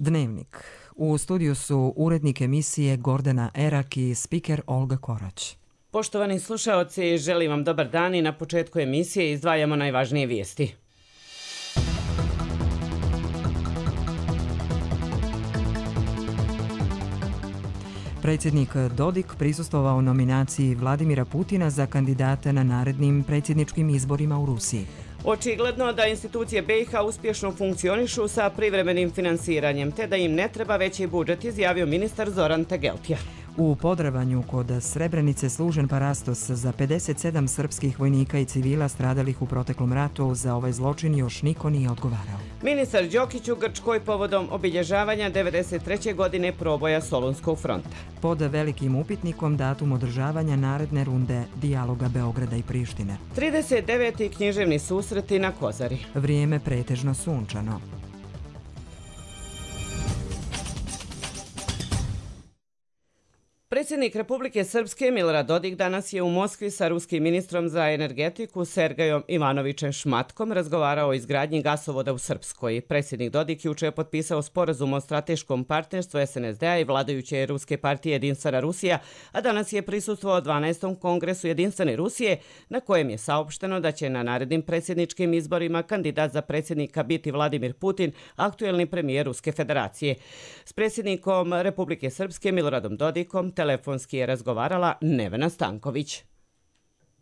Dnevnik. U studiju su urednik emisije Gordana Erak i spiker Olga Korać. Poštovani slušaoci, želim vam dobar dan i na početku emisije izdvajamo najvažnije vijesti. Predsjednik Dodik prisustvovao nominaciji Vladimira Putina za kandidata na narednim predsjedničkim izborima u Rusiji. Očigledno da institucije BiH uspješno funkcionišu sa privremenim finansiranjem, te da im ne treba veći budžet, izjavio ministar Zoran Tegeltija. U Podravanju kod Srebrenice služen parastos za 57 srpskih vojnika i civila stradalih u proteklom ratu. Za ovaj zločin još niko nije odgovarao. Ministar Đokić u Grčkoj povodom obilježavanja 93. godine proboja Solunskog fronta. Pod velikim upitnikom datum održavanja naredne runde dijaloga Beograda i Prištine. 39. književni susreti na Kozari. Vrijeme pretežno sunčano. Predsjednik Republike Srpske Milorad Dodik danas je u Moskvi sa ruskim ministrom za energetiku Sergejom Ivanovićem Šmatkom razgovarao o izgradnji gasovoda u Srpskoj. Predsjednik Dodik juče je potpisao sporazum o strateškom partnerstvu SNSD-a i vladajuće ruske partije Jedinstvena Rusija, a danas je prisustvovao 12. kongresu Jedinstvene Rusije, na kojem je saopšteno da će na narednim predsjedničkim izborima kandidat za predsjednika biti Vladimir Putin, aktuelni premijer Ruske federacije. S predsjednikom Republike Srpske Miloradom Dodikom telefonski je razgovarala Nevena Stanković.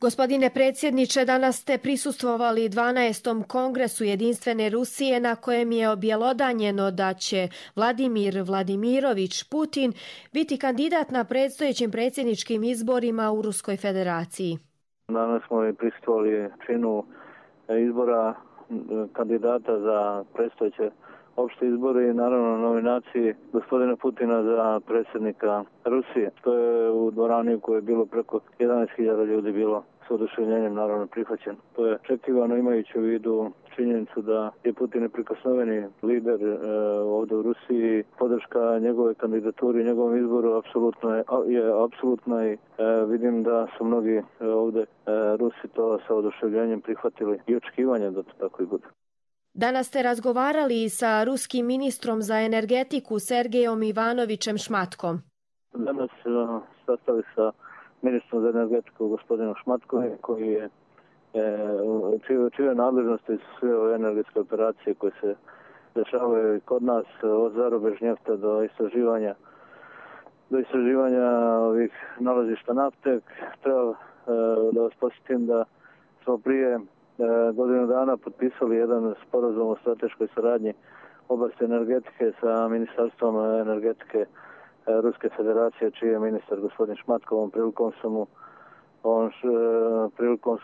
Gospodine predsjedniče, danas ste prisustvovali 12. kongresu Jedinstvene Rusije na kojem je objelodanjeno da će Vladimir Vladimirović Putin biti kandidat na predstojećim predsjedničkim izborima u Ruskoj federaciji. Danas smo i prisustvovali činu izbora kandidata za predstojeće opšte izbore i naravno nominaciji gospodina Putina za predsjednika Rusije. To je u dvorani u kojoj je bilo preko 11.000 ljudi bilo s oduševljenjem naravno prihvaćen. To je očekivano imajući u vidu činjenicu da je Putin neprikosnoveni lider ovdje u Rusiji. Podrška njegove kandidaturi i njegovom izboru apsolutna i vidim da su mnogi ovdje Rusi to sa oduševljenjem prihvatili i očekivanje da to tako i bude. Danas ste razgovarali sa ruskim ministrom za energetiku Sergejom Ivanovićem Šmatkom. Danas sastali sa ministrom za energetiku gospodinom Šmatkom, koji je čije nadležnosti su sve ove energetske operacije koje se dešavaju kod nas, od zarobe žnjefta do istraživanja ovih nalazišta nafte. Treba da vas posjetim da smo prije godinu dana potpisali jedan sporazum o strateškoj saradnji u oblasti energetike sa Ministarstvom energetike Ruske federacije, čiji je ministar gospodin Šmatko. Ovom prilikom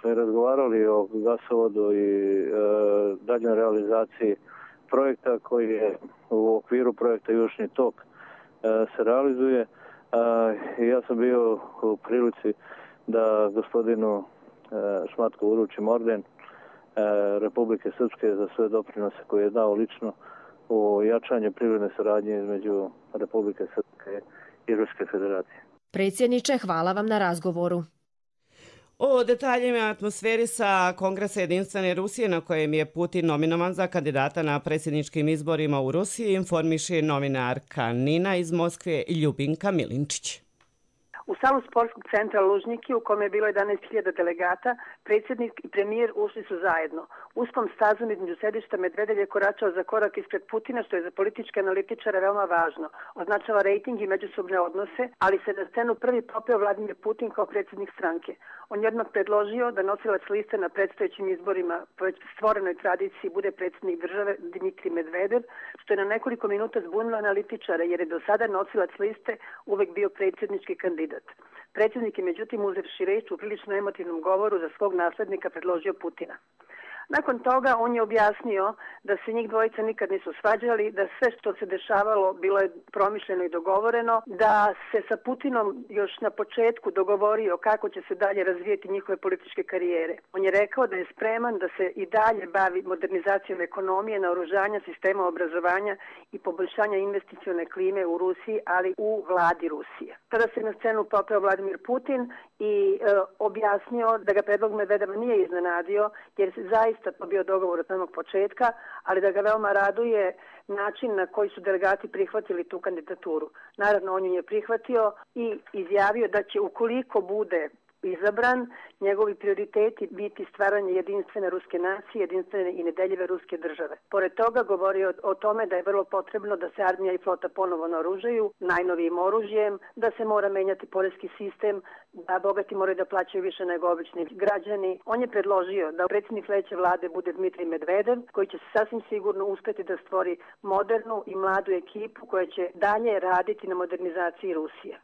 smo i razgovarali o gasovodu i daljnjoj realizaciji projekta koji je u okviru projekta Južni tok se realizuje. Ja sam bio u prilici da gospodinu Šmatko uručim orden Republike Srpske za sve doprinose koje je dao lično u jačanju privredne saradnje između Republike Srpske i Ruske federacije. Predsjedniče, hvala vam na razgovoru. O detaljima atmosferi sa Kongresa Jedinstvene Rusije na kojem je Putin nominovan za kandidata na predsjedničkim izborima u Rusiji informiše novinarka Nina iz Moskve Ljubinka Milinčić. U salu sportskog centra Lužniki, u kome je bilo 11.000 delegata, predsjednik i premijer ušli su zajedno. Uskom stazom između sedišta Medvedev je koračao za korak ispred Putina, što je za političke analitičare veoma važno. Označava rejting i međusobne odnose, ali se na scenu prvi popeo Vladimir Putin kao predsjednik stranke. On je odmah predložio da nosilac liste na predstojećim izborima po već stvorenoj tradiciji bude predsjednik države Dmitrij Medvedev, što je na nekoliko minuta zbunilo analitičare, jer je do sada nosilac liste uvek bio predsjednički kandidat. Predsjednik je međutim uzevši reč u prilično emotivnom govoru za svog naslednika predložio Putina. Nakon toga on je objasnio da se njih dvojica nikad nisu svađali, da sve što se dešavalo bilo je promišljeno i dogovoreno, da se sa Putinom još na početku dogovorio kako će se dalje razvijeti njihove političke karijere. On je rekao da je spreman da se i dalje bavi modernizacijom ekonomije, naoružanja, sistema obrazovanja i poboljšanja investicione klime u Rusiji, ali u vladi Rusije. Tada se na scenu popeo Vladimir Putin i objasnio da ga predlog Medvedeva nije iznenadio, jer zaista to bio dogovor od samog početka, ali da ga veoma raduje način na koji su delegati prihvatili tu kandidaturu. Naravno, on ju je prihvatio i izjavio da će, ukoliko bude izabran, njegovi prioriteti biti stvaranje jedinstvene ruske nacije, jedinstvene i nedeljive ruske države. Pored toga govorio o tome da je vrlo potrebno da se armija i flota ponovo naoružaju najnovijim oružjem, da se mora menjati poreski sistem, da bogati moraju da plaćaju više nego obični građani. On je predložio da predsjednik sledeće vlade bude Dmitrij Medvedev, koji će sasvim sigurno uspeti da stvori modernu i mladu ekipu koja će dalje raditi na modernizaciji Rusije.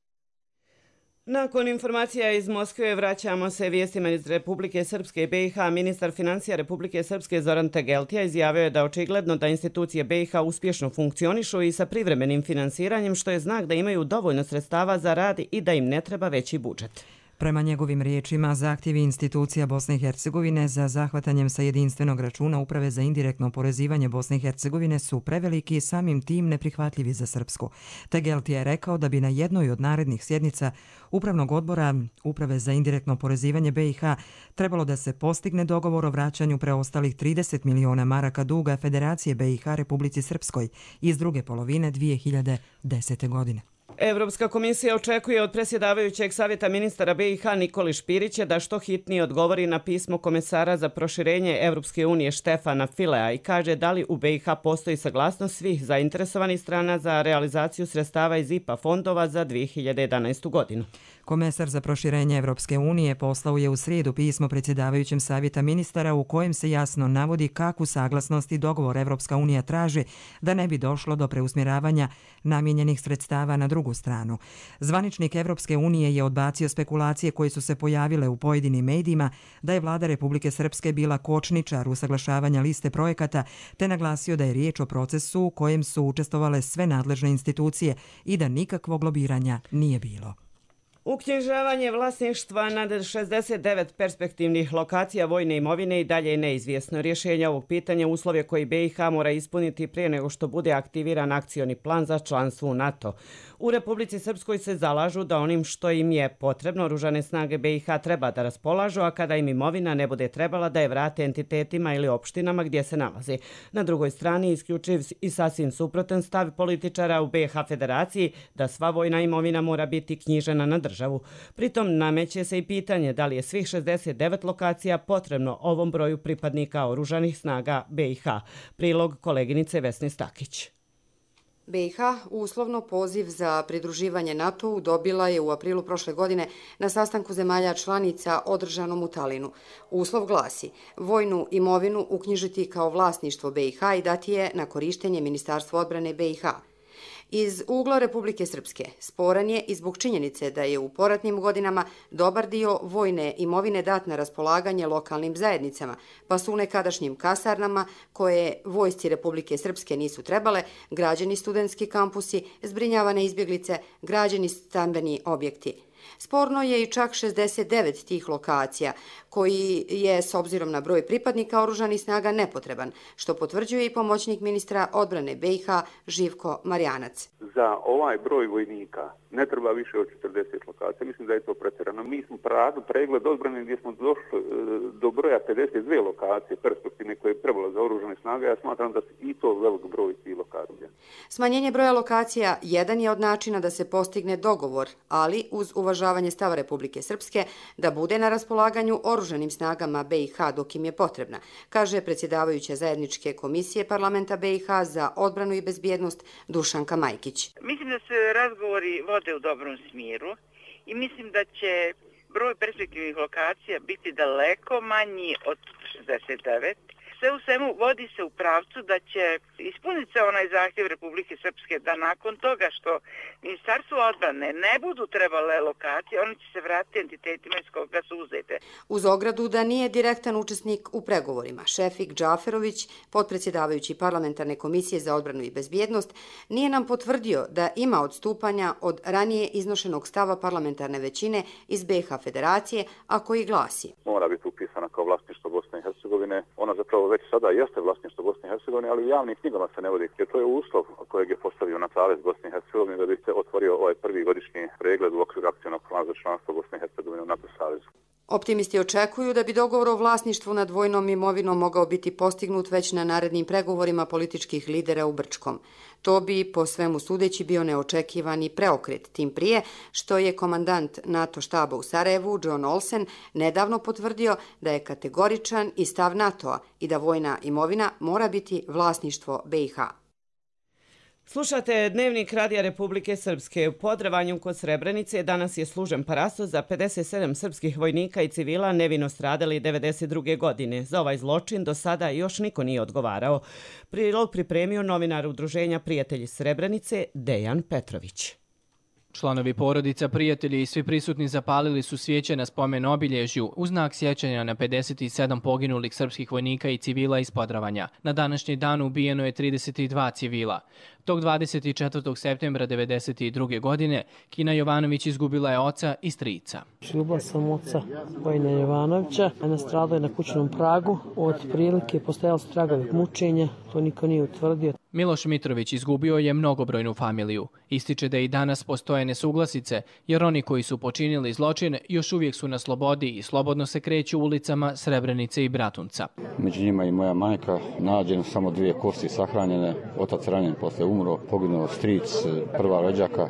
Nakon informacija iz Moskve vraćamo se vijestima iz Republike Srpske i BiH. Ministar financija Republike Srpske Zoran Tegeltija izjavio je da očigledno da institucije BiH uspješno funkcionišu i sa privremenim finansiranjem, što je znak da imaju dovoljno sredstava za rad i da im ne treba veći budžet. Prema njegovim riječima, zahtjevi institucija Bosne i Hercegovine za zahvatanjem sa jedinstvenog računa Uprave za indirektno oporezivanje Bosne i Hercegovine su preveliki i samim tim neprihvatljivi za Srpsku. Tegeltija je rekao da bi na jednoj od narednih sjednica Upravnog odbora Uprave za indirektno oporezivanje BiH trebalo da se postigne dogovor o vraćanju preostalih 30 miliona maraka duga Federacije BiH Republici Srpskoj iz druge polovine 2010. godine. Evropska komisija očekuje od predsjedavajućeg savjeta ministara BiH Nikoli Špirića da što hitnije odgovori na pismo komesara za proširenje Evropske unije Štefana Filea i kaže da li u BiH postoji saglasnost svih zainteresovanih strana za realizaciju sredstava iz IPA fondova za 2011. godinu. Komesar za proširenje Evropske unije poslao je u srijedu pismo predsjedavajućem savjeta ministara u kojem se jasno navodi kakvu saglasnost i dogovor Evropska unija traži da ne bi došlo do preusmjeravanja namijenjenih sredstava na drugu stranu. Zvaničnik Evropske unije je odbacio spekulacije koje su se pojavile u pojedinim medijima da je vlada Republike Srpske bila kočničar usaglašavanja liste projekata, te naglasio da je riječ o procesu u kojem su učestvovale sve nadležne institucije i da nikakvog lobiranja nije bilo. Uknjižavanje vlasništva nad 69 perspektivnih lokacija vojne imovine i dalje je neizvjesno. Rješenje ovog pitanja uslovje koji BiH mora ispuniti prije nego što bude aktiviran akcioni plan za članstvo u NATO. U Republici Srpskoj se zalažu da onim što im je potrebno oružane snage BiH treba da raspolažu, a kada im imovina ne bude trebala da je vrate entitetima ili opštinama gdje se nalazi. Na drugoj strani isključiv i sasvim suprotan stav političara u BiH Federaciji da sva vojna imovina mora biti knjižena na državu. Pritom nameće se i pitanje da li je svih 69 lokacija potrebno ovom broju pripadnika oružanih snaga BiH. Prilog koleginice Vesne Stakić. BiH uslovno poziv za pridruživanje NATO-u dobila je u aprilu prošle godine na sastanku zemalja članica održanom u Talinu. Uslov glasi vojnu imovinu uknjižiti kao vlasništvo BiH i dati je na korištenje Ministarstvu odbrane BiH. Iz ugla Republike Srpske sporan je i zbog činjenice da je u poratnim godinama dobar dio vojne imovine dat na raspolaganje lokalnim zajednicama, pa su u nekadašnjim kasarnama, koje vojsci Republike Srpske nisu trebale, građeni studentski kampusi, zbrinjavane izbjeglice, građeni stambeni objekti. Sporno je i čak 69 tih lokacija, koji je, s obzirom na broj pripadnika oružanih snaga, nepotreban, što potvrđuje i pomoćnik ministra odbrane BiH Živko Marjanac. Za ovaj broj vojnika ne treba više od 40 lokacija. Mislim da je to pretjerano. Mi smo radili pregled odbrane gdje smo došli do broja 52 lokacije perspektivne koje je trebalo za oružane snage. Ja smatram da su i to velik broj tih lokacija. Smanjenje broja lokacija jedan je od načina da se postigne dogovor, ali uz uvažavanje stava Republike Srpske da bude na raspolaganju oružanim snagama BiH dok im je potrebna, kaže predsjedavajuća zajedničke komisije parlamenta BiH za odbranu i bezbjednost Dušanka Majkić. Mislim da se razgovori vode u dobrom smjeru i mislim da će broj perspektivnih lokacija biti daleko manji od 69. Sve u svemu vodi se u pravcu da će ispuniti se onaj zahtjev Republike Srpske da nakon toga što Ministarstvo odbrane ne budu trebale lokacije, oni će se vratiti entitetima iz koga su uzete. Uz ogradu da nije direktan učesnik u pregovorima, Šefik Džaferović, potpredsjedavajući parlamentarne komisije za odbranu i bezbjednost, nije nam potvrdio da ima odstupanja od ranije iznošenog stava parlamentarne većine iz BiH Federacije, a koji glasi: mora biti upisana kao vlasništvo Bosne i Hercegovine. Ona zapravo već sada jeste vlasništvo Bosne i Hercegovine, ali u javnim knjigama se ne vodi, jer to je uslov kojeg je postavio na Savez Bosne i Hercegovine da bi se otvorio ovaj prvi godišnji pregled u okviru akcionog plana za članstvo Bosne i Hercegovine u NATO savezu. Optimisti očekuju da bi dogovor o vlasništvu nad vojnom imovinom mogao biti postignut već na narednim pregovorima političkih lidera u Brčkom. To bi, po svemu sudeći, bio neočekivani preokret, tim prije što je komandant NATO štaba u Sarajevu, John Olsen, nedavno potvrdio da je kategoričan i stav NATO-a i da vojna imovina mora biti vlasništvo BiH. Slušate Dnevnik Radija Republike Srpske. U Podrevanju kod Srebrenice danas je služen parasto za 57 srpskih vojnika i civila nevino stradali 1992. godine. Za ovaj zločin do sada još niko nije odgovarao. Prilog pripremio novinar Udruženja Prijatelji Srebrenice Dejan Petrović. Članovi porodica, prijatelji i svi prisutni zapalili su svijeće na spomen obilježju u znak sjećanja na 57 poginulih srpskih vojnika i civila iz Podravanja. Na današnji dan ubijeno je 32 civila. Tog 24. septembra 1992. godine Kina Jovanović izgubila je oca i strica. Ljubila sam oca Vojina Jovanovića, a nastradao je na kućnom pragu. Od prilike postojali su tragovi mučenja, to niko nije utvrdio. Miloš Mitrović izgubio je mnogobrojnu familiju. Ističe da i danas postoje nesuglasice, jer oni koji su počinili zločin još uvijek su na slobodi i slobodno se kreću ulicama Srebrenice i Bratunca. Među njima i moja majka, nađeno samo 2 kosti sahranjene, otac ranjen posle umro, poginuo stric, prva rođaka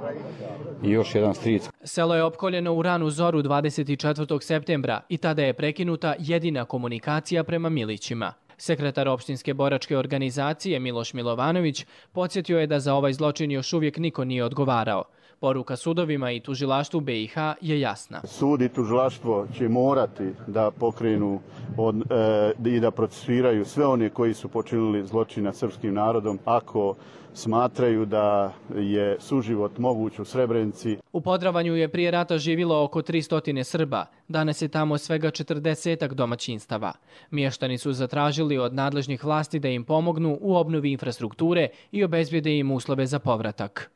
i još jedan stric. Selo je opkoljeno u ranu zoru 24. septembra i tada je prekinuta jedina komunikacija prema Milićima. Sekretar opštinske boračke organizacije Miloš Milovanović podsjetio je da za ovaj zločin još uvijek niko nije odgovarao. Poruka sudovima i tužilaštvu BiH je jasna. Sud i tužilaštvo će morati da pokrenu i da procesuiraju sve one koji su počinili zločin nad srpskim narodom ako smatraju da je suživot moguć u Srebrenici. U Podravanju je prije rata živilo oko 300 Srba. Danas je tamo svega 40 domaćinstava. Mještani su zatražili od nadležnih vlasti da im pomognu u obnovi infrastrukture i obezbijede im uslove za povratak.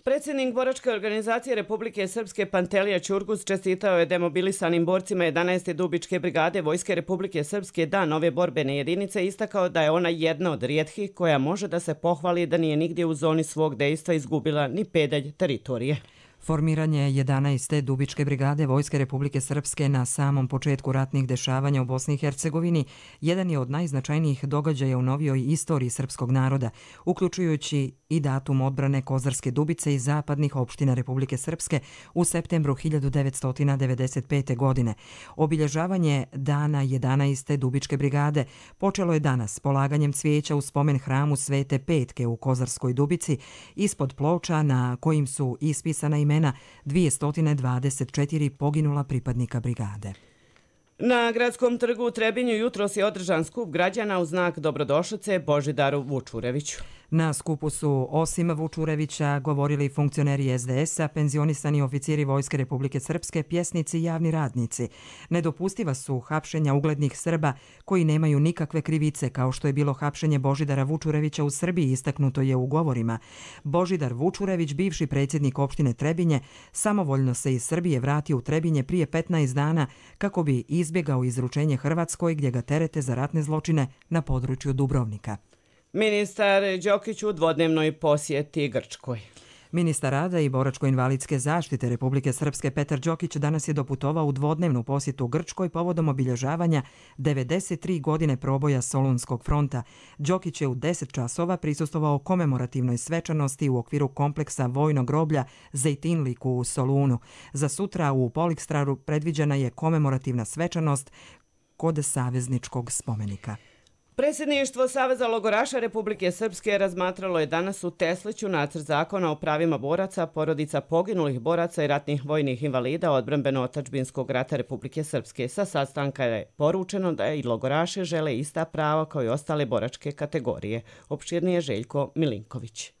Predsjednik boračke organizacije Republike Srpske Pantelija Ćurgus čestitao je demobilisanim borcima 11. Dubičke brigade Vojske Republike Srpske dan ove borbene jedinice, istakao da je ona jedna od rijetkih koja može da se pohvali da nije nigdje u zoni svog dejstva izgubila ni pedalj teritorije. Formiranje 11. Dubičke brigade Vojske Republike Srpske na samom početku ratnih dešavanja u Bosni i Hercegovini jedan je od najznačajnijih događaja u novijoj istoriji srpskog naroda, uključujući i datum odbrane Kozarske Dubice i zapadnih opština Republike Srpske u septembru 1995. godine. Obilježavanje dana 11. Dubičke brigade počelo je danas polaganjem cvijeća u spomen hramu Svete Petke u Kozarskoj Dubici ispod ploča na kojim su ispisana imena 224 poginula pripadnika brigade. Na gradskom trgu u Trebinju jutros je održan skup građana u znak dobrodošlice Božidaru Vučureviću. Na skupu su osim Vučurevića govorili funkcioneri SDS-a, penzionisani oficiri Vojske Republike Srpske, pjesnici i javni radnici. Nedopustiva su hapšenja uglednih Srba koji nemaju nikakve krivice, kao što je bilo hapšenje Božidara Vučurevića u Srbiji, istaknuto je u govorima. Božidar Vučurević, bivši predsjednik opštine Trebinje, samovoljno se iz Srbije vratio u Trebinje prije 15 dana kako bi izbjegao izručenje Hrvatskoj gdje ga terete za ratne zločine na području Dubrovnika. Ministar Đokić u dvodnevnoj posjeti Grčkoj. Ministar rada i boračko-invalidske zaštite Republike Srpske Petar Đokić danas je doputovao u dvodnevnu posjetu Grčkoj povodom obilježavanja 93 godine proboja Solunskog fronta. Đokić je u 10 časova prisustvovao komemorativnoj svečanosti u okviru kompleksa vojnog groblja Zejtinlik u Solunu. Za sutra u Polikstraru predviđena je komemorativna svečanost kod savezničkog spomenika. Predsjedništvo Saveza logoraša Republike Srpske razmatralo je danas u Tesliću nacrt zakona o pravima boraca, porodica poginulih boraca i ratnih vojnih invalida odbrambeno-otadžbinskog rata Republike Srpske. Sa sastanka je poručeno da i logoraše žele ista prava kao i ostale boračke kategorije. Opširnije Željko Milinković.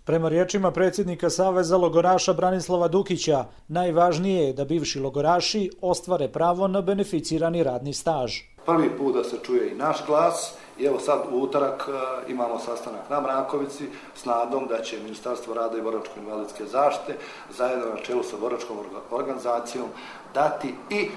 Prema riječima predsjednika Saveza logoraša Branislava Dukića, najvažnije je da bivši logoraši ostvare pravo na beneficirani radni staž. Prvi put da se čuje i naš glas i evo sad u utorak imamo sastanak na Mrakovici s nadom da će Ministarstvo rada i boračko-invalidske zaštite zajedno na čelu sa boračkom organizacijom dati i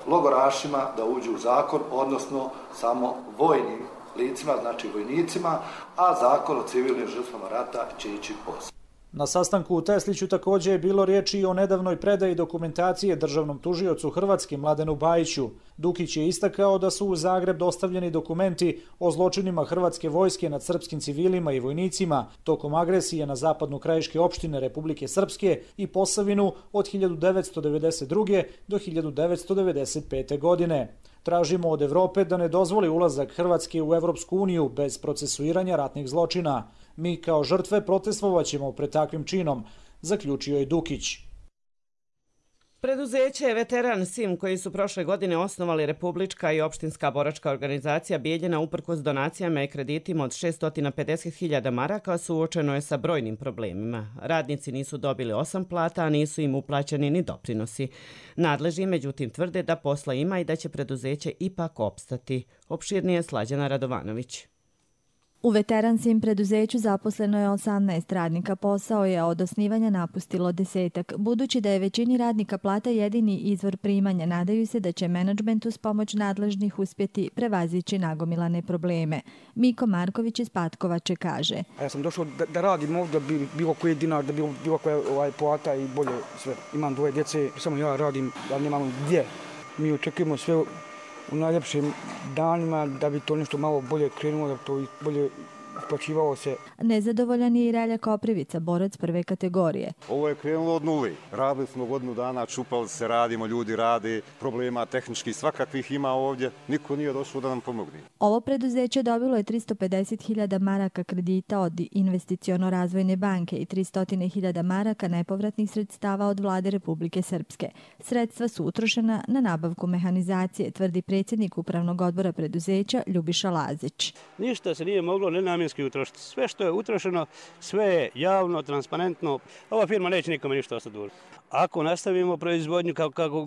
logorašima da uđu u zakon, odnosno samo vojnim licima, znači vojnicima, a zakon o civilnim žrtvama rata će ići poslije. Na sastanku u Tesliću također je bilo riječi i o nedavnoj predaji dokumentacije državnom tužiocu Hrvatske Mladenu Bajiću. Dukić je istakao da su u Zagreb dostavljeni dokumenti o zločinima hrvatske vojske nad srpskim civilima i vojnicima tokom agresije na zapadnu krajiške opštine Republike Srpske i Posavinu od 1992. do 1995. godine. Tražimo od Evrope da ne dozvoli ulazak Hrvatske u Evropsku uniju bez procesuiranja ratnih zločina. Mi kao žrtve protestvovaćemo pred takvim činom, zaključio je Dukić. Preduzeće Veteran Sim, koji su prošle godine osnovali Republička i opštinska boračka organizacija Bijeljina uprkos donacijama i kreditima od 650.000 maraka, suočeno je sa brojnim problemima. Radnici nisu dobili 8 plata, a nisu im uplaćeni ni doprinosi. Nadležni međutim tvrde da posla ima i da će preduzeće ipak opstati. Opširnije Slađana Radovanović. U Veteransim preduzeću zaposleno je 18 radnika, posao je od osnivanja napustilo 10. Budući da je većini radnika plata jedini izvor primanja, nadaju se da će menadžment uz pomoć nadležnih uspjeti prevazići nagomilane probleme. Miko Marković iz Patkovače kaže. Ja sam došao da radim ovdje, da bi bilo koji dinar, da bi bilo koja plata i bolje sve. Imam 2 djece, samo ja radim, ja nemam gdje. Mi očekujemo sve u najljepšim danima da bi to nešto malo bolje krenulo, da bi to bolje isplaćivalo se. Nezadovoljan je i Relja Koprivica, borac prve kategorije. Ovo je krenulo od nuli. Radili smo godinu dana, čupali se, radimo, ljudi rade, problema tehničkih svakakvih ima ovdje. Niko nije došao da nam pomogne. Ovo preduzeće dobilo je 350.000 maraka kredita od Investiciono-razvojne banke i 300.000 maraka nepovratnih sredstava od vlade Republike Srpske. Sredstva su utrošena na nabavku mehanizacije, tvrdi predsjednik upravnog odbora preduzeća Ljubiša Lazić. Ništa se nije moglo nenamjenski utrošiti. Sve što je utrošeno, sve je javno, transparentno. Ova firma neće nikome ništa ostati dužna. Ako nastavimo proizvodnju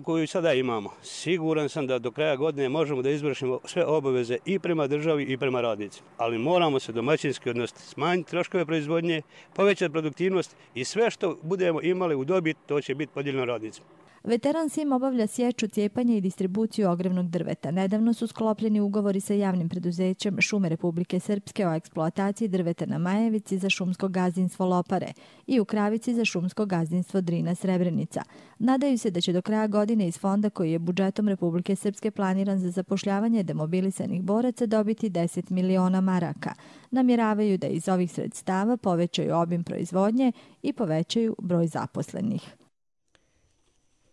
koju sada imamo, siguran sam da do kraja godine možemo da izvršimo sve obaveze i prema državi i prema radnicima. Ali moramo se domaćinski odnositi, smanjiti troškove proizvodnje, povećati produktivnost i sve što budemo imali u dobit, to će biti podijeljeno radnicima. Veteran Sim obavlja sječu, cijepanje i distribuciju ogrevnog drveta. Nedavno su sklopljeni ugovori sa javnim preduzećem Šume Republike Srpske o eksploataciji drveta na Majevici za šumsko gazdinstvo Lopare i u Kravici za šumsko gazdinstvo Drina Srebrenica. Nadaju se da će do kraja godine iz fonda koji je budžetom Republike Srpske planiran za zapošljavanje demobilisanih boraca dobiti 10 miliona maraka. Namjeravaju da iz ovih sredstava povećaju obim proizvodnje i povećaju broj zaposlenih.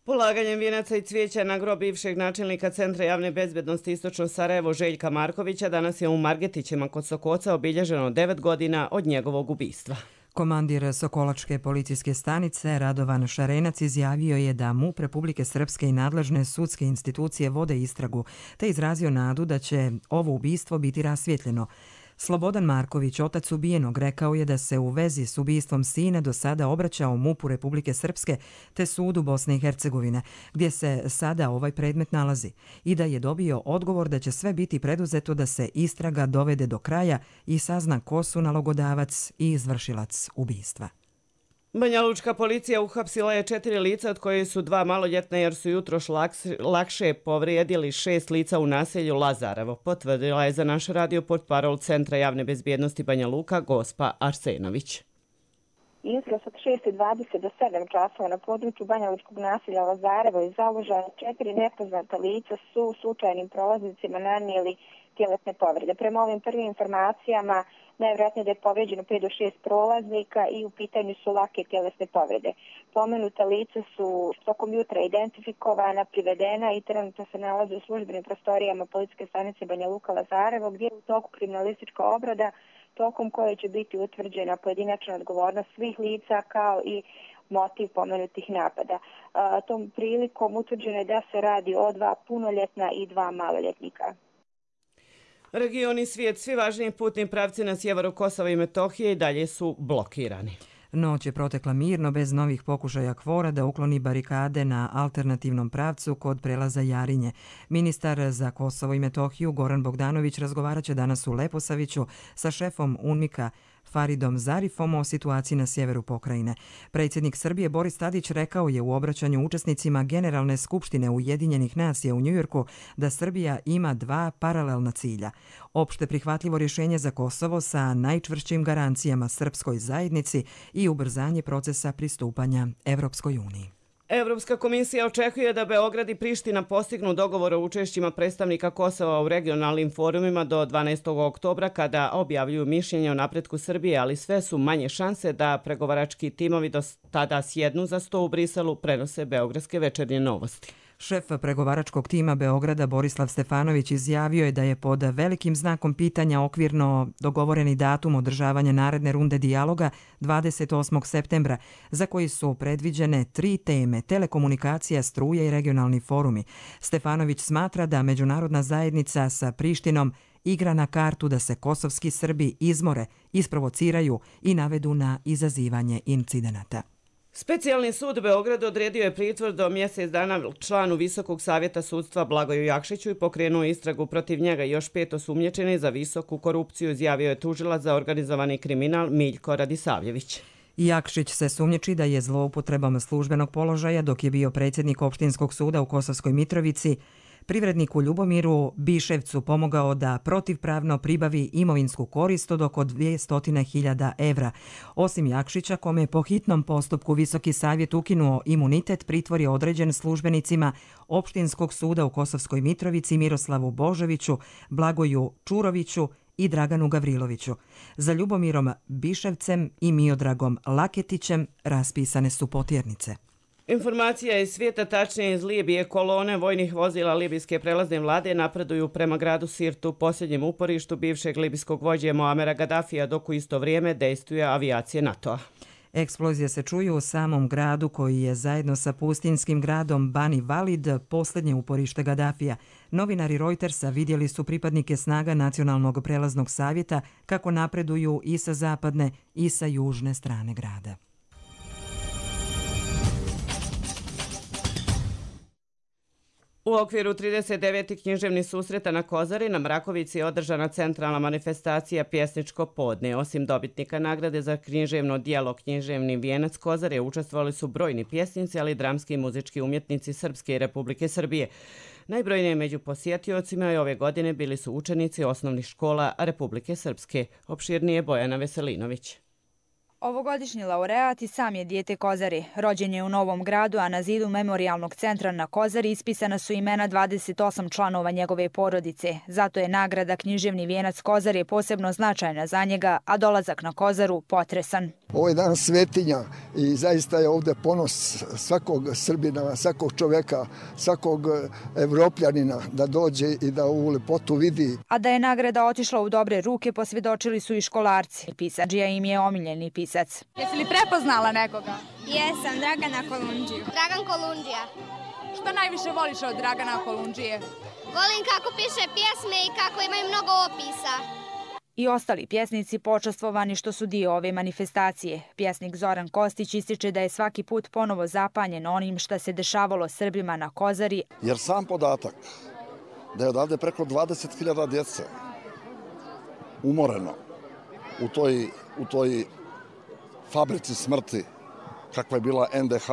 Polaganjem vijenaca i cvijeća na grob bivšeg načelnika Centra javne bezbednosti Istočno Sarajevo Željka Markovića danas je u Margetićima kod Sokoca obilježeno 9 godina od njegovog ubistva. Komandir Sokolačke policijske stanice Radovan Šarenac izjavio je da MUP Republike Srpske i nadležne sudske institucije vode istragu, te izrazio nadu da će ovo ubistvo biti rasvjetljeno. Slobodan Marković, otac ubijenog, rekao je da se u vezi s ubistvom sina do sada obraćao MUP-u Republike Srpske te sudu Bosne i Hercegovine, gdje se sada ovaj predmet nalazi, i da je dobio odgovor da će sve biti preduzeto da se istraga dovede do kraja i sazna ko su nalogodavac i izvršilac ubistva. Banja Lučka policija uhapsila je 4 lica, od koje su 2 maloljetna jer su jutros lakše povrijedili 6 lica u naselju Lazarevo. Potvrdila je za naš radio portparol Centra javne bezbjednosti Banja Luka Gospa Arsenović. Jutros od 6:20 do 7 časova na području Banja Lučkog naselja Lazarevo i založena 4 nepoznata lica su slučajnim prolaznicima nanijeli tjelesne povrede. Prema ovim prvim informacijama, najvjerojatnije da je povrijeđeno 5 do 6 prolaznika i u pitanju su lake tjelesne povrede. Pomenuta lica su tokom jutra identifikovana, privedena i trenutno se nalaze u službenim prostorijama policijske stanice Banja Luka Lazarevo, gdje je u toku kriminalistička obrada, tokom koje će biti utvrđena pojedinačna odgovornost svih lica kao i motiv pomenutih napada. Tom prilikom utvrđeno je da se radi o 2 punoljetna i 2 maloljetnika. Region i svijet, svi važniji putni pravci na sjeveru Kosova i Metohije i dalje su blokirani. Noć je protekla mirno, bez novih pokušaja KFOR-a da ukloni barikade na alternativnom pravcu kod prelaza Jarinje. Ministar za Kosovo i Metohiju Goran Bogdanović razgovarat će danas u Leposaviću sa šefom UNMIK-a Faridom Zarifom o situaciji na sjeveru pokrajine. Predsjednik Srbije Boris Tadić rekao je u obraćanju učesnicima Generalne skupštine Ujedinjenih nacija u Njujorku da Srbija ima dva paralelna cilja. Opšte prihvatljivo rješenje za Kosovo sa najčvršćim garancijama srpskoj zajednici i ubrzanje procesa pristupanja Evropskoj uniji. Evropska komisija očekuje da Beograd i Priština postignu dogovor o učešćima predstavnika Kosova u regionalnim forumima do 12. oktobra kada objavljuju mišljenje o napretku Srbije, ali sve su manje šanse da pregovarački timovi do tada sjednu za sto u Briselu, prenose beogradske Večernje novosti. Šef pregovaračkog tima Beograda Borislav Stefanović izjavio je da je pod velikim znakom pitanja okvirno dogovoreni datum održavanja naredne runde dijaloga 28. septembra, za koji su predviđene 3 teme: telekomunikacija, struje i regionalni forumi. Stefanović smatra da međunarodna zajednica sa Prištinom igra na kartu da se kosovski Srbi izmore, isprovociraju i navedu na izazivanje incidenata. Specijalni sud Beograd odredio je pritvor do mjesec dana članu Visokog savjeta sudstva Blagoju Jakšiću i pokrenuo istragu protiv njega. Još 5 osumnjičeni za visoku korupciju, izjavio je tužilac za organizovani kriminal Miljko Radisavljević. Jakšić se sumnjiči da je zloupotrebom službenog položaja dok je bio predsjednik opštinskog suda u Kosovskoj Mitrovici privredniku Ljubomiru Biševcu pomogao da protivpravno pribavi imovinsku korist od oko 200.000 evra. Osim Jakšića, kome je po hitnom postupku Visoki savjet ukinuo imunitet, pritvor je određen službenicima opštinskog suda u Kosovskoj Mitrovici Miroslavu Božoviću, Blagoju Čuroviću i Draganu Gavriloviću. Za Ljubomirom Biševcem i Miodragom Laketićem raspisane su potjernice. Informacija iz svijeta, tačnije iz Libije, kolone vojnih vozila libijske prelazne vlade napreduju prema gradu Sirtu, posljednjem uporištu bivšeg libijskog vođe Moamera Gaddafija, dok u isto vrijeme dejstvuje avijacije NATO-a. Eksplozije se čuju u samom gradu koji je zajedno sa pustinjskim gradom Bani Walid posljednje uporište Gaddafija. Novinari Reutersa vidjeli su pripadnike snaga Nacionalnog prelaznog savjeta kako napreduju i sa zapadne i sa južne strane grada. U okviru 39. književnih susreta na Kozari na Mrakovici je održana centralna manifestacija Pjesničko podne. Osim dobitnika nagrade za književno djelo Književni vijenac Kozare učestvovali su brojni pjesnici, ali i dramski i muzički umjetnici Srpske i Republike Srbije. Najbrojnije među posjetiocima ove godine bili su učenici osnovnih škola Republike Srpske. Opširnije Bojana Veselinović. Ovogodišnji laureat i sam je dijete Kozari. Rođen je u Novom Gradu, a na zidu memorialnog centra na Kozari ispisana su imena 28 članova njegove porodice. Zato je nagrada Književni vijenac Kozare posebno značajna za njega, a dolazak na Kozaru potresan. Ovo je dan svetinja i zaista je ovdje ponos svakog Srbina, svakog čovjeka, svakog Evropljanina da dođe i da ovu lepotu vidi. A da je nagrada otišla u dobre ruke posvjedočili su i školarci. Pisađija im je omiljeni pisac. Jesi li prepoznala nekoga? Jesam, Dragana Kolundžiju. Dragan Kolundžija. Što najviše voliš od Dragana Kolundžije? Volim kako piše pjesme i kako imaju mnogo opisa. I ostali pjesnici počastvovani što su dio ove manifestacije. Pjesnik Zoran Kostić ističe da je svaki put ponovo zapanjen onim šta se dešavalo Srbima na Kozari. Jer sam podatak da je odavde preko 20.000 djece umoreno u toj fabrici smrti kakva je bila NDH,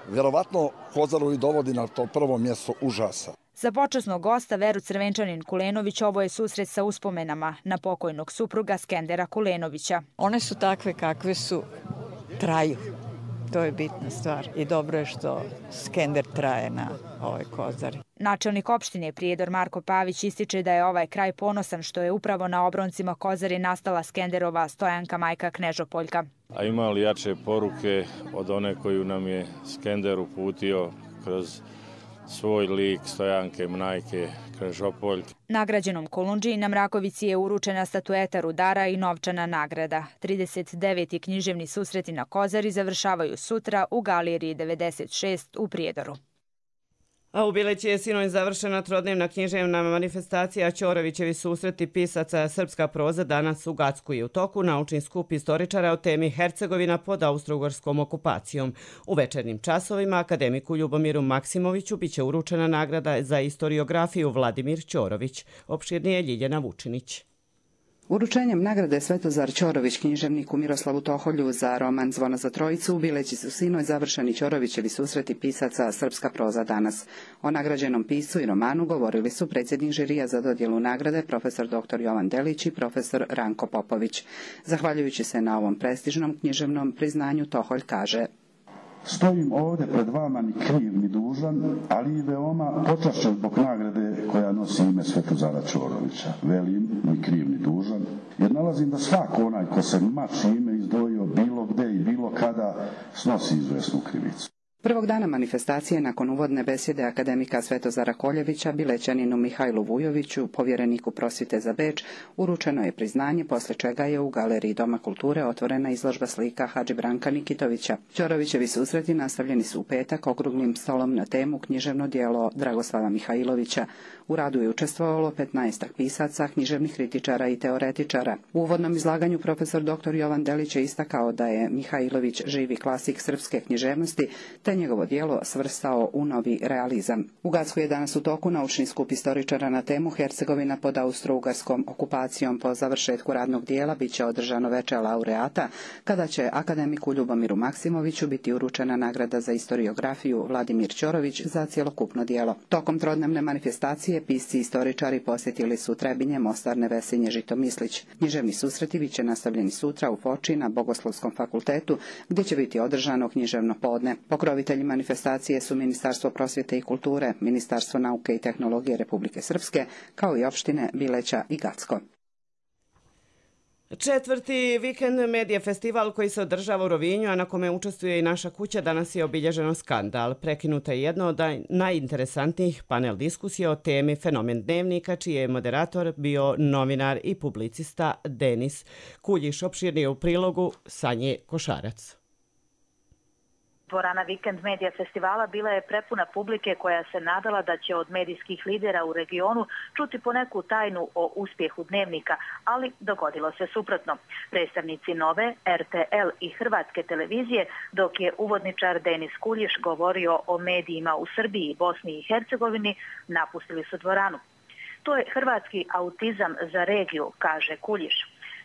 vjerovatno Kozaru i dovodi na to prvo mjesto užasa. Za počasnog gosta Veru Crvenčanin Kulenović ovo je susret sa uspomenama na pokojnog supruga Skendera Kulenovića. One su takve kakve su, traju. To je bitna stvar i dobro je što Skender traje na ovoj Kozari. Načelnik opštine Prijedor Marko Pavić ističe da je ovaj kraj ponosan što je upravo na obroncima Kozari nastala Skenderova stojanka majka Knežopoljka. A ima li jače poruke od one koju nam je Skender uputio kroz svoj lik stojanke majke Knežopoljke? Nagrađenom Kolundžiji na Mrakovici je uručena statueta rudara i novčana nagrada. 39. književni susreti na Kozari završavaju sutra u Galeriji 96 u Prijedoru. A u Bileći je sinoć završena trodnevna književna manifestacija Ćorovićevi susreti pisaca Srpska proza danas u Gacku i u toku naučni skup istoričara o temi Hercegovina pod austrougarskom okupacijom. U večernjim časovima akademiku Ljubomiru Maksimoviću biće uručena nagrada za istoriografiju Vladimir Ćorović. Opširnije Ljiljana Vučinić. Uručenjem nagrade Svetozar Ćorović književniku Miroslavu Toholju za roman Zvona za trojicu u Bileći su sinoć završeni Ćorovićevi susreti pisaca Srpska proza danas. O nagrađenom piscu i romanu govorili su predsjednik žirija za dodjelu nagrade profesor dr. Jovan Delić i profesor Ranko Popović. Zahvaljujući se na ovom prestižnom književnom priznanju, Toholj kaže: Stojim ovdje pred vama ni kriv ni dužan, ali i veoma počašćen zbog nagrade koja nosi ime Svetozara Ćorovića. Velim, ni kriv ni dužan, jer nalazim da svako onaj ko se mači ime izdvojio bilo gde i bilo kada snosi izvesnu krivicu. Prvog dana manifestacije, nakon uvodne besjede akademika Svetozara Koljevića, Bilećaninu Mihajlu Vujoviću, povjereniku prosvjete za Beč, uručeno je priznanje, poslije čega je u Galeriji Doma kulture otvorena izložba slika Hadži Branka Nikitovića. Ćorovićevi susreti nastavljeni su u petak okruglim stolom na temu književno djelo Dragoslava Mihajlovića. U radu je učestvovalo 15 pisaca, književnih kritičara i teoretičara. U uvodnom izlaganju profesor dr. Jovan Delić je istakao da je Mihajlović živi klasik srpske književnosti, te njegovo djelo svrstao u novi realizam. U Gacku je danas u toku naučni skup istoričara na temu Hercegovina pod austro-ugarskom okupacijom. Po završetku radnog dijela bit će održano veče laureata, kada će akademiku Ljubomiru Maksimoviću biti uručena nagrada za historiografiju Vladimir Ćorović za cjelokupno djelo. Tokom trodnevne manifestacije pisci i istoričari posjetili su Trebinje, Mostar, Nevesinje, Žitomislić. Književni susreti bit će nastavljeni sutra u Foči na Bogoslovskom fakultetu, gdje će biti održano književno podne. Pokrovitelji manifestacije su Ministarstvo prosvjete i kulture, Ministarstvo nauke i tehnologije Republike Srpske, kao i opštine Bileća i Gacko. Četvrti vikend Medija festival koji se održava u Rovinju, a na kome učestvuje i naša kuća, danas je obilježeno skandal. Prekinuta je jedno od najinteresantnijih panel diskusija o temi Fenomen dnevnika, čiji je moderator bio novinar i publicista Denis Kuljiš. Opširnije u prilogu Sanje Košarac. Dvorana Vikend Medija festivala bila je prepuna publike koja se nadala da će od medijskih lidera u regionu čuti poneku tajnu o uspjehu dnevnika, ali dogodilo se suprotno. Predstavnici Nove, RTL i Hrvatske televizije, dok je uvodničar Denis Kuljiš govorio o medijima u Srbiji, Bosni i Hercegovini, napustili su dvoranu. To je hrvatski autizam za regiju, kaže Kuljiš.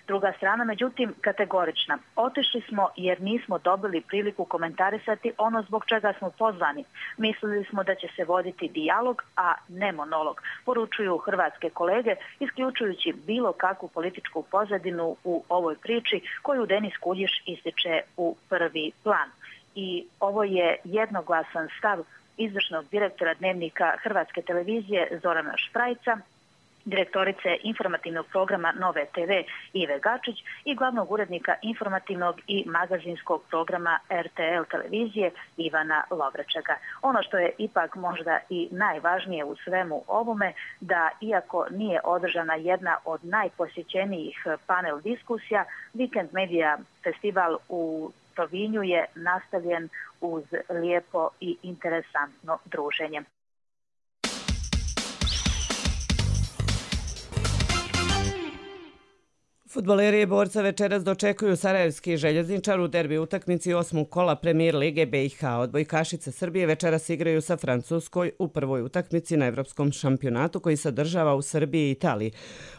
Druga strana, međutim, kategorična. Otišli smo jer nismo dobili priliku komentarisati ono zbog čega smo pozvani. Mislili smo da će se voditi dijalog, a ne monolog, poručuju hrvatske kolege, isključujući bilo kakvu političku pozadinu u ovoj priči koju Denis Kuljiš ističe u prvi plan. I ovo je jednoglasan stav izvršnog direktora dnevnika Hrvatske televizije Zorana Šprajca, direktorice informativnog programa Nove TV Ive Gačić i glavnog urednika informativnog i magazinskog programa RTL televizije Ivana Lovrečega. Ono što je ipak možda i najvažnije u svemu ovome, da iako nije održana jedna od najposjećenijih panel diskusija, Vikend Medija festival u Rovinju je nastavljen uz lijepo i interesantno druženje. Fudbaleri i borca večeras dočekuju sarajevski željezničar u derbi utakmici 8. kola Premier Lige BiH. Odbojkašice Srbije večeras igraju sa Francuskoj u prvoj utakmici na evropskom šampionatu koji se održava u Srbiji i Italiji.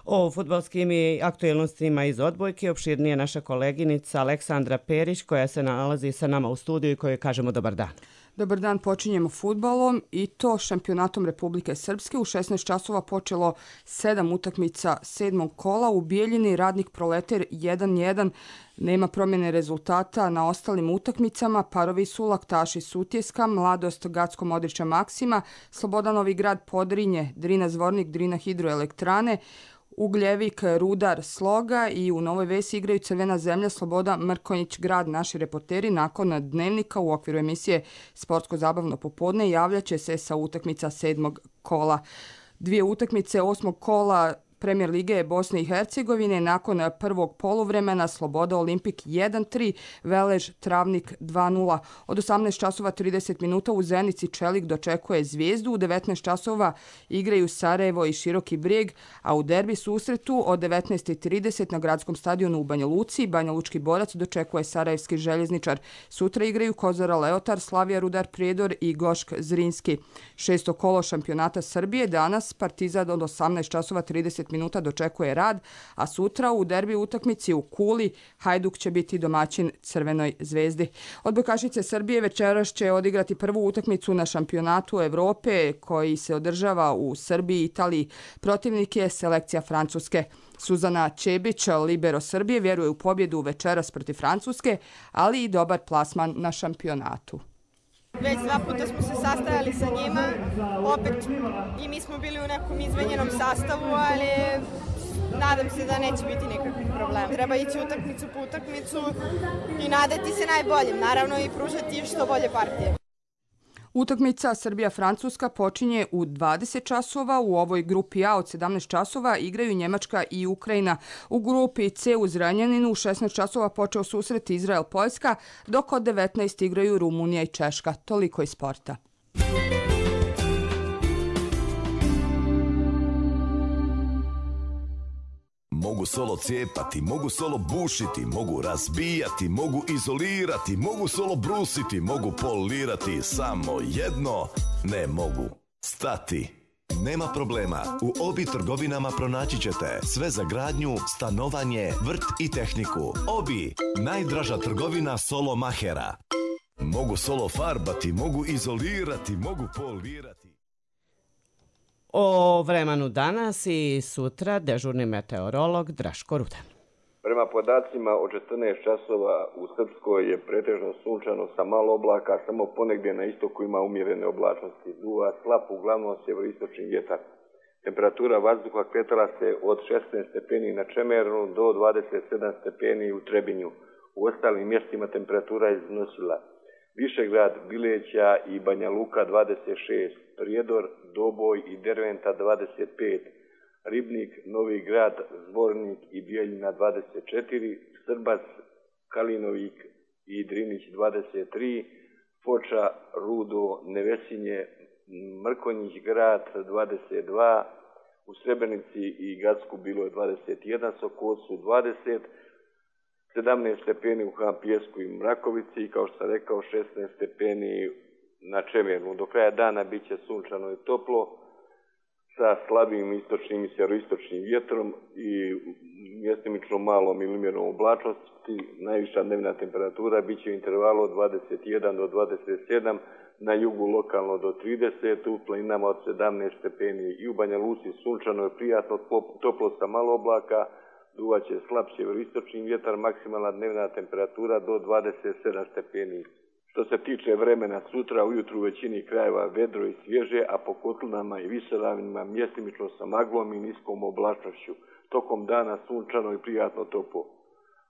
O fudbalskim i aktuelnostima iz odbojke opširnije naša koleginica Aleksandra Perić, koja se nalazi sa nama u studiju i kojoj kažemo dobar dan. Dobar dan, počinjemo fudbalom i to šampionatom Republike Srpske. U 16 časova počelo 7 utakmica 7. kola. U Bijeljini Radnik Proleter 1-1. Nema promjene rezultata na ostalim utakmicama. Parovi Sulak, Taši Sutjeska, Mladost Gacko Modrića Maksima, Sloboda Novi Grad Podrinje, Drina Zvornik, Drina Hidroelektrane, Ugljevik, Rudar, Sloga i u Novoj Vesi igraju Crvena zemlja, Sloboda, Mrkonjić grad. Naši reporteri nakon dnevnika u okviru emisije Sportsko zabavno popodne javljaće se sa utakmica 7. kola. Dvije utakmice 8. kola Premijer Lige Bosne i Hercegovine nakon prvog poluvremena Sloboda Olimpik 1-3, Velež Travnik 2-0. Od 18 časova 30 minuta u Zenici Čelik dočekuje Zvijezdu, u 19 časova igraju Sarajevo i Široki Brijeg, a u derbi susretu od 19:30 na gradskom stadionu u Banja Luci Banja Lučki borac dočekuje Sarajevski željezničar. Sutra igraju Kozara Leotar, Slavija Rudar Prijedor i Gošk Zrinski. 6. kolo šampionata Srbije danas Partizan od 18 časova 30 20 minuta dočekuje rad, a sutra u derbi utakmici u Kuli Hajduk će biti domaćin Crvenoj zvezdi. Odbojkašice Srbije večeras će odigrati prvu utakmicu na šampionatu Evrope koji se održava u Srbiji i Italiji. Protivnik je selekcija Francuske. Suzana Čebić, libero Srbije, vjeruje u pobjedu večeras protiv Francuske, ali i dobar plasman na šampionatu. Već 2 puta smo se sastajali sa njima, opet i mi smo bili u nekom izmenjenom sastavu, ali nadam se da neće biti nikakvih problema. Treba ići utakmicu po utakmicu i nadati se najboljim, naravno i pružati što bolje partije. Utakmica Srbija-Francuska počinje u 20 časova. U ovoj grupi A od 17 časova igraju Njemačka i Ukrajina. U grupi C u Zrenjaninu u 16 časova počeo susret Izrael-Poljska, dok od 19 igraju Rumunija i Češka. Toliko iz sporta. Mogu solo cijepati, mogu solo bušiti, mogu razbijati, mogu izolirati, mogu solo brusiti, mogu polirati, samo jedno ne mogu stati. Nema problema, u Obi trgovinama pronaći ćete sve za gradnju, stanovanje, vrt i tehniku. Obi, najdraža trgovina solo mahera. Mogu solo farbati, mogu izolirati, mogu polirati. O vremenu danas i sutra dežurni meteorolog Draško Rudan. Prema podacima od 14 časova u Srpskoj je pretežno sunčano sa malo oblaka, samo ponegdje na istoku ima umjerene oblačnosti. Duva slab, uglavnom sjeveroistočni vjetar. Temperatura vazduha kretala se od 16 stepeni na Čemernu do 27 stepeni u Trebinju. U ostalim mjestima temperatura je iznosila Višegrad, Bileća i Banja Luka 26, Prijedor, Doboj i Derventa 25, Ribnik, Novi Grad, Zvornik i Bijeljina 24, Srbac, Kalinovik i Drinić 23, Foča, Rudo, Nevesinje, Mrkonjić Grad 22, u Srebrenici i Gacku bilo je 21, Sokocu 20, 17 stepeni u Hampijesku i Mrakovici i kao što sam rekao 16 stepeni na Čemernu. Do kraja dana bit će sunčano i toplo sa slabim istočnim i sjeveroistočnim vjetrom i mjestimično malom ili umjerenom oblačnosti. Najviša dnevna temperatura bit će u intervalu od 21 do 27, na jugu lokalno do 30, u planinama od 17 stepeni i u Banja Luci sunčano je prijatno toplo sa malo oblaka, duvaće slab sjeveroistočni vjetar, maksimalna dnevna temperatura do 27 stepeni. Što se tiče vremena sutra, ujutru u većini krajeva vedro i svježe, a po kotlinama i visoravnima mjestimično sa maglom i niskom oblačnošću. Tokom dana sunčano i prijatno toplo.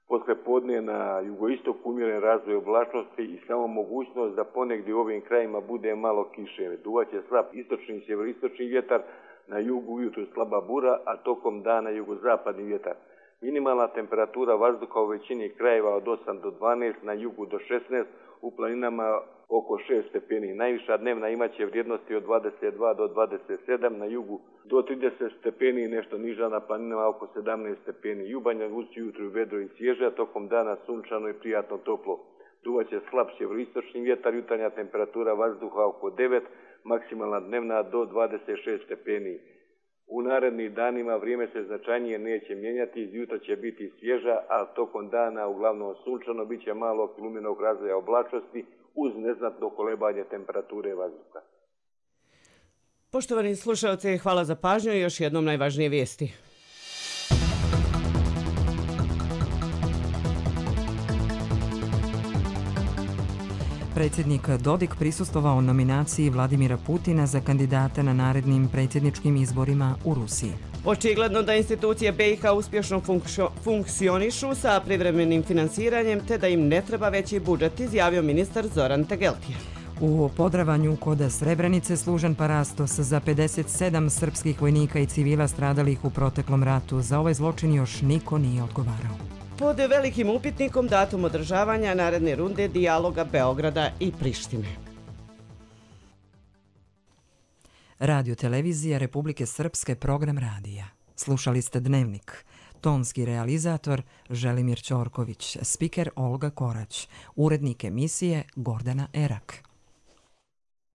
Posle podne na jugoistoku umjeren razvoj oblačnosti i samo mogućnost da ponegdje u ovim krajima bude malo kiše. Duvaće slab istočni i sjeveroistočni vjetar, na jugu ujutru slaba bura, a tokom dana jugozapadni vjetar. Minimalna temperatura vazduha u većini krajeva od 8 do 12, na jugu do 16, u planinama oko 6 stepeni. Najviša dnevna imaće vrijednosti od 22 do 27, na jugu do 30 stepeni, nešto niža na planinama oko 17 stepeni. I u Banja Luci ujutru vedro i svježe, tokom dana sunčano i prijatno toplo. Duvaće slab sjeveroistočni vjetar, jutarnja temperatura vazduha oko 9, maksimalna dnevna do 26 stepeni. U narednim danima vrijeme se značajnije neće mijenjati, jutra će biti svježa, a tokom dana uglavnom sunčano, bit će malo luminog razvoja oblačnosti uz neznatno kolebanje temperature vazduha. Poštovani slušalci, hvala za pažnju i još jednom najvažnije vijesti. Predsjednik Dodik prisustvovao nominaciji Vladimira Putina za kandidata na narednim predsjedničkim izborima u Rusiji. Očigledno da institucije BiH uspješno funkcionišu sa privremenim finansiranjem te da im ne treba veći budžet, izjavio ministar Zoran Tegeltija. U Podravanju kod Srebrenice služen parastos za 57 srpskih vojnika i civila stradalih u proteklom ratu. Za ovaj zločin još niko nije odgovarao. Pod velikim upitnikom datum održavanja naredne runde dijaloga Beograda i Prištine. Radio televizija Republike Srpske, program radija. Slušali ste Dnevnik. Tonski realizator Želimir Ćorković, spiker Olga Korać, urednik emisije Gordana Erak.